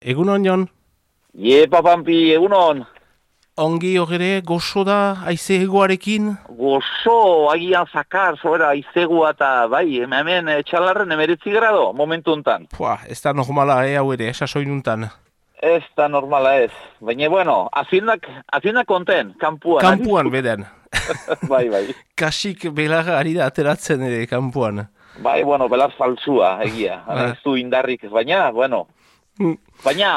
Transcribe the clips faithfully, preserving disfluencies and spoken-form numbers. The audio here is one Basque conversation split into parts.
Egunon, Jon? Iepa, Pampi, egunon. Ongi horre goxo da aize egoarekin? Gozo, agian zakar, zoera, izegua eta bai, hemen txalarren emeretzi grado, momentu hontan. Pua, ez da normala, eh, hau ere, esasoinuntan. Ez da normala ez. Baina, bueno, aziendak, aziendak konten, kampuan. Kampuan, beden. Bai, bai. Kasik belarra ari da ateratzen ere, kampuan. Bai, bueno, belar faltsua, egia. Ez du indarrik, baina, bueno. Baina,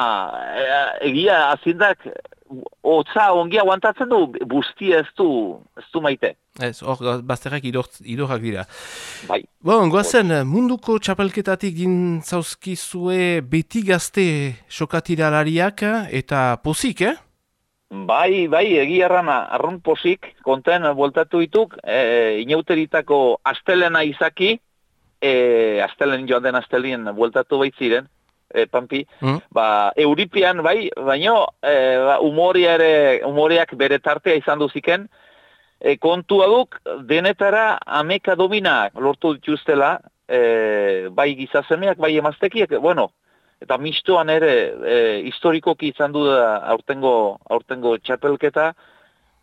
egia, aziendak, hotza ongi aguantatzen du, bustia ez du, ez du maite. Ez, hor, bazterrak idorrak dira. Bai. Bon, goazen, munduko txapelketatik gintzauzkizue beti gazte sokatiralariak eta pozik, eh? Bai, bai, egia errana, arrun posik, konten bueltatu dituk, e, inauteritako astelena izaki, e, astelen joan den astelien bueltatu baitziren, e, Pampi, mm. ba, Euripian, bai, baino, e, ba, umoria ere, umoriak bere tartea izan duziken, e, kontua duk, denetara ameka dominak lortu dituztela, e, bai gizasemeak, bai emaztekiak, bueno, eta mistoan ere e, historikoki izan du da aurtengo, aurtengo txapelketa,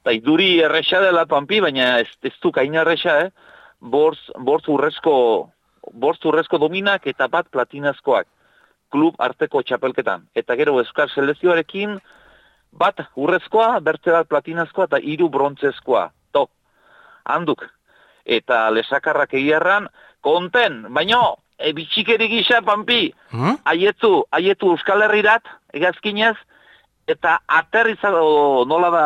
eta iduri erresa dela, Pampi, baina ez, ez du kaina erresa, eh? Bortz, bortz urrezko, bortz urrezko dominak eta bat platinazkoak klub arteko txapelketan. Eta gero Euskal Selezioarekin bat urrezkoa, bertze bat platinazkoa eta hiru brontzezkoa. To, handuk. Eta lesakarrak egiarran, konten, baino, e, bitxikeri gisa, Pampi, hmm? aietu, aietu Euskal Herrirat, egazkinez, eta aterrizado, nola da,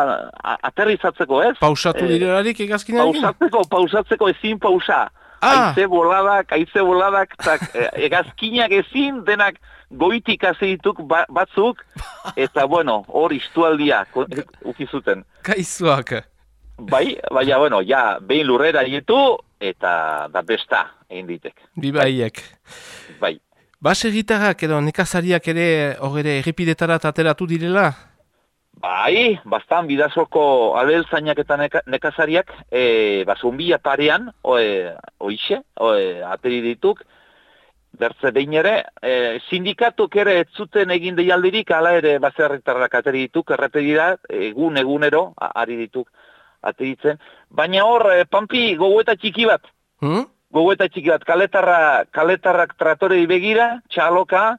aterrizatzeko, ez? Pausatu direlarik egazkinekin? Pausatzeko, pausatzeko ezin pausa. Ah. Aize boladak, aize boladak, tak, egazkinak ezin, denak goitik azidituk batzuk, eta bueno, hor istualdia ukizuten. Kaizuak. Bai, baina, bueno, ja, behin lurrera aietu, eta da besta egin ditek. Bibaiek. Bai. Base gitarrak edo nekazariak ere horre errepidetara ateratu direla? Bai, bastan bidazoko abeltzainak eta neka, nekazariak, e, bazumbia parean, oe, oixe, oe, ateri dituk, bertze behin ere, e, sindikatuk ere ez zuten egin deialdirik, ala ere baserritarrak ateri dituk, errepedira, egun egunero, ari dituk ateritzen, baina hor, e, Pampi, gogoeta txiki bat, hmm? gogoeta txiki bat, kaletarra, kaletarrak tratorei begira, txaloka,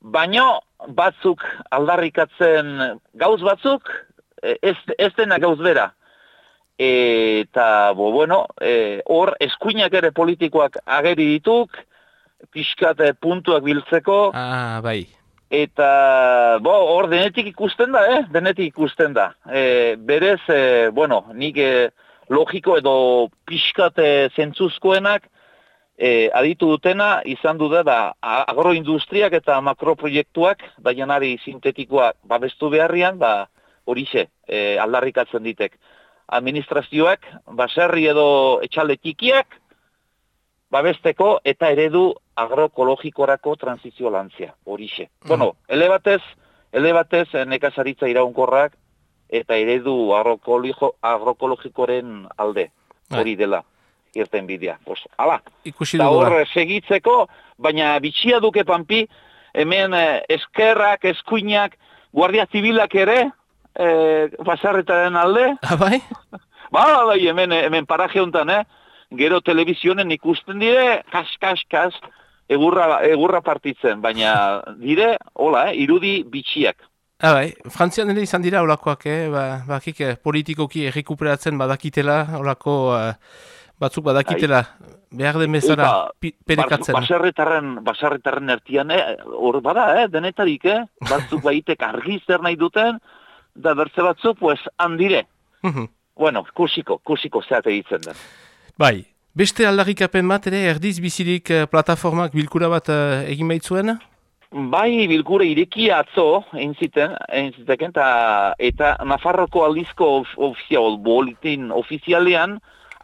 baino batzuk aldarrikatzen gauz batzuk, ez, ez dena gauz bera. E, eta, bo, bueno, e, hor eskuinak ere politikoak ageri dituk, pixkat puntuak biltzeko. Ah, bai. Eta, bo, hor denetik ikusten da, eh? Denetik ikusten da. E, berez, e, bueno, nik e, logiko edo pixkat e, zentzuzkoenak, E, aditu dutena, izan du da, da agroindustriak eta makroproiektuak, da janari sintetikoak babestu beharrian, ba, horixe, e, aldarrikatzen ditek. Administrazioak, baserri edo etxalde txikiak, babesteko eta eredu agroekologikorako transizio lantzia, horixe. Mm. Bueno, elebatez, elebatez nekazaritza iraunkorrak eta eredu agroekologikoren alde, hori dela. Irten bidea. Pues, ala, eta hor segitzeko, baina bitxia duke, Pampi, hemen eh, eskerrak, eskuinak, guardia zibilak ere, eh, basarretaren alde. Ah, bai? Ba, bai, hemen, hemen paraje honetan, eh? Gero telebizionen ikusten dire, kas, kas, kas, egurra, egurra partitzen, baina dire, hola, eh, irudi bitxiak. Ah, bai, Frantzian ere izan dira olakoak, eh? Ba, bakik, politikoki errekuperatzen badakitela, olako... Uh... Batzuk badakitela, behar den bezala perekatzen. Baserritarren, baserritarren ertian, hor eh, bada, eh, denetarik, eh? Batzuk baitek argi zer nahi duten, da bertze batzuk, pues, handire. Bueno, kusiko, kusiko zeate ditzen den. Bai, beste aldarrikapen bat ere, erdiz bizirik plataformak bilkura bat uh, egin baitzuen? Bai, bilkura irekia atzo, egin ziten, egin ziteken, eta, eta Nafarroko aldizko ofizial, boletin ofizialean,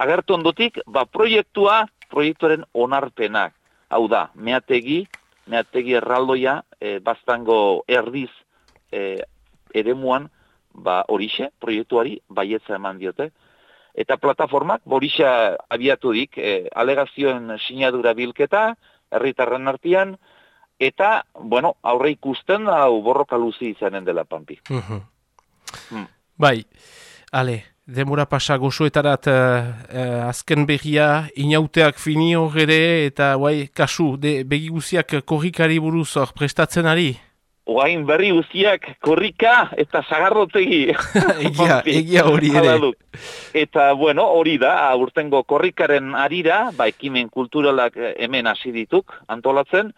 agertu ondotik, ba, proiektua, proiektuaren onarpenak. Hau da, meategi, meategi erraldoia, e, baztango erdiz e, eremuan, ba, horixe, proiektuari, baietza eman diote. Eta plataformak, horixe abiatu dik, e, alegazioen sinadura bilketa, herritarren artean, eta, bueno, aurre ikusten hau borroka luzi izanen dela Pampi. Mhm. Hmm. Bai, ale, demora pasa gozoetarat uh, uh, azken berria, inauteak fini hor ere, eta guai, kasu, de, begi guziak korrikari buruz hor prestatzen ari? Oain berri guztiak korrika eta sagarrotegi. egia, egia hori ere. Eta, bueno, hori da, aurtengo korrikaren arira, ba, ekimen kulturalak hemen hasi dituk antolatzen,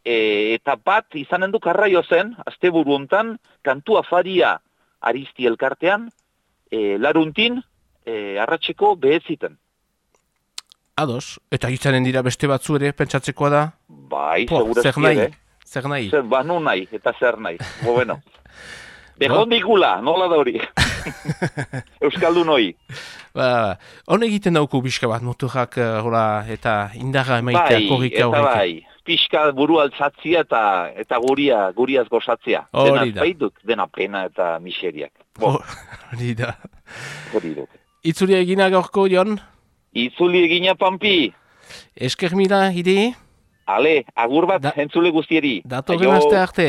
e, eta bat izanen du karraio zen, asteburu hontan, kantu afaria Aristi elkartean, e, laruntin, e, arratseko beheziten. Ados, eta izanen dira beste batzu ere, pentsatzekoa da? Bai, po, segurazki zer nahi, ere. Zer nahi? Zer, ba, nu nahi, eta zer nahi. Bo, bueno. Behondikula, nola da hori. Euskaldun hoi. Ba, hon egiten dauku pixka bat, motorak uh, eta indarra emaitea bai, korrika horrek. Bai, eta bai, pixka buru altzatzia eta, eta guria, guriaz gozatzia. Hori da. Dena, dena pena eta miseriak. Hori da. Hori da. Itzuli egina gaurko, Jon? Itzuli egina, Pampi. Esker mila, hidi? Ale, agur bat, da, entzule guztieri. Datorren aste arte.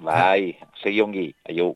Bai, segiongi, aio.